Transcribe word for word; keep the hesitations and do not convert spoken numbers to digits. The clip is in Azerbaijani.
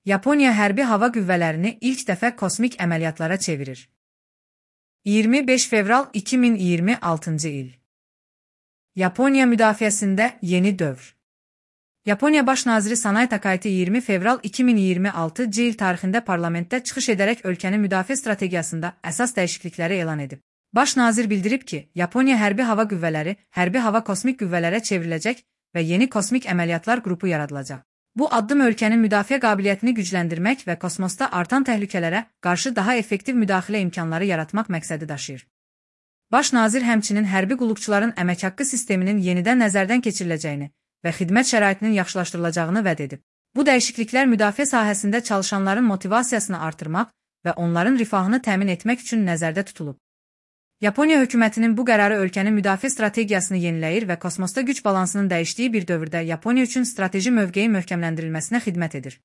Yaponiya hərbi hava qüvvələrini ilk dəfə kosmik əməliyyatlara çevirir. iyirmi beş fevral iki min iyirmi altıncı il. Yaponiya müdafiəsində yeni dövr. Yaponiya Baş naziri Sanai Takaichi iyirmi fevral iki min iyirmi altıncı il tarixində parlamentdə çıxış edərək ölkənin müdafiə strategiyasında əsas dəyişiklikləri elan edib. Baş nazir bildirib ki, Yaponiya hərbi hava qüvvələri hərbi hava kosmik qüvvələrə çevriləcək və yeni kosmik əməliyyatlar qrupu yaradılacaq. Bu addım ölkənin müdafiə qabiliyyətini gücləndirmək və kosmosda artan təhlükələrə qarşı daha effektiv müdaxilə imkanları yaratmaq məqsədi daşıyır. Baş nazir həmçinin hərbi qulluqçuların əmək haqqı sisteminin yenidən nəzərdən keçiriləcəyini və xidmət şəraitinin yaxşılaşdırılacağını vəd edib. Bu dəyişikliklər müdafiə sahəsində çalışanların motivasiyasını artırmaq və onların rifahını təmin etmək üçün nəzərdə tutulub. Yaponiya hökumətinin bu qərarı ölkənin müdafiə strategiyasını yeniləyir və kosmosda güc balansının dəyişdiyi bir dövrdə Yaponiya üçün strateji mövqeyi möhkəmləndirilməsinə xidmət edir.